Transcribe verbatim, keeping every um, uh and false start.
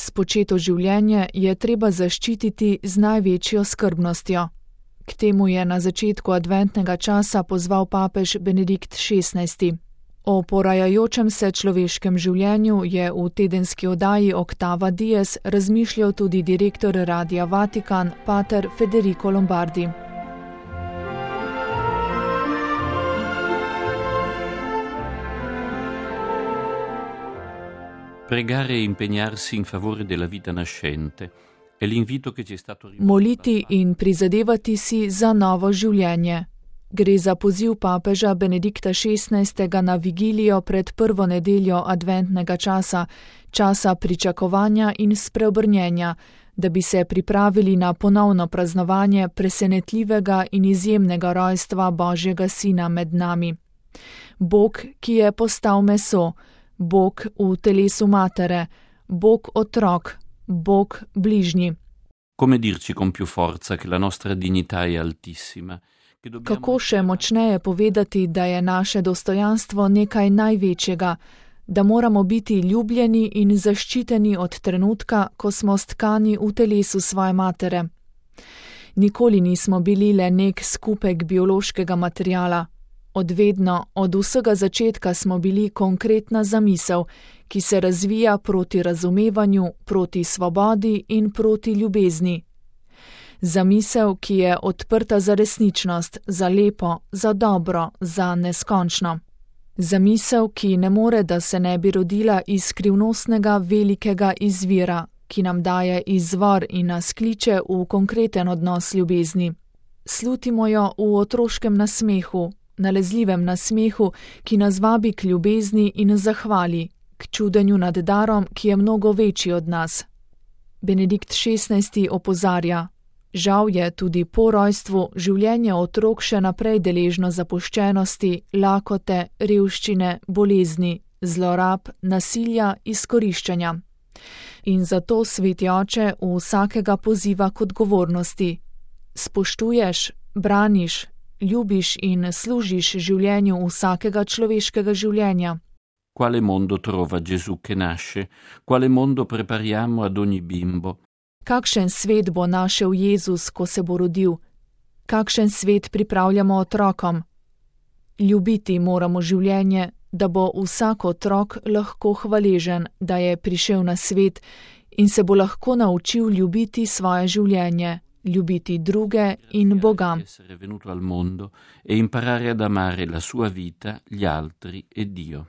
Spočeto življenje je treba zaščititi z največjo skrbnostjo. K temu je na začetku adventnega časa pozval papež Benedikt šestnajsti. O porajajočem se človeškem življenju je v tedenski oddaji Oktava Dies razmišljal tudi direktor Radia Vatikan, pater Federico Lombardi. Pregare e impegnarsi in favore della vita nascente è l'invito che ci è stato rivolto. Moliti in prizadevati si za novo življenje. Gre za poziv papeža Benedikta šestnajstega na vigilijo pred prvo nedeljo adventnega časa, časa pričakovanja in spreobrnjenja, da bi se pripravili na ponovno praznovanje presenetljivega in izjemnega rojstva Božjega Sina med nami. Bog, ki je postal meso, Bog v telesu matere, Bog otrok, Bog bližnji. Come dirci con più forza che la nostra dignità è altissima. Kako še močneje povedati, da je naše dostojanstvo nekaj največjega, da moramo biti ljubljeni in zaščiteni od trenutka, ko smo stkani v telesu svoje matere. Nikoli nismo bili le nek skupek biološkega materiala. Od vedno, od vsega začetka smo bili konkretna zamisel, ki se razvija proti razumevanju, proti svobodi in proti ljubezni. Zamisel, ki je odprta za resničnost, za lepo, za dobro, za neskončno. Zamisel, ki ne more, da se ne bi rodila iz skrivnostnega velikega izvira, ki nam daje izvor in nas kliče v konkreten odnos ljubezni. Slutimo jo v otroškem nasmehu, nalezljivem nasmehu, ki nas vabi k ljubezni in zahvali, k čudenju nad darom, ki je mnogo večji od nas. Benedikt šestnajsti opozarja: žal je tudi po rojstvu življenje otrok še naprej deležno zapuščenosti, lakote, revščine, bolezni, zlorab, nasilja, izkoriščanja. In zato Sveti Oče vsakega poziva k odgovornosti. Spoštuješ, braniš, ljubiš in služiš življenju vsakega človeškega življenja. Quale mondo trova Gesù che nasce? Quale mondo prepariamo ad ogni bimbo? Kakšen svet bo našel Jezus, ko se bo rodil? Kakšen svet pripravljamo otrokom? Ljubiti moramo življenje, da bo vsak otrok lahko hvaležen, da je prišel na svet in se bo lahko naučil ljubiti svoje življenje, ljubiti druge in Boga. Essere venuto al mondo e imparare ad amare la sua vita, gli altri e Dio.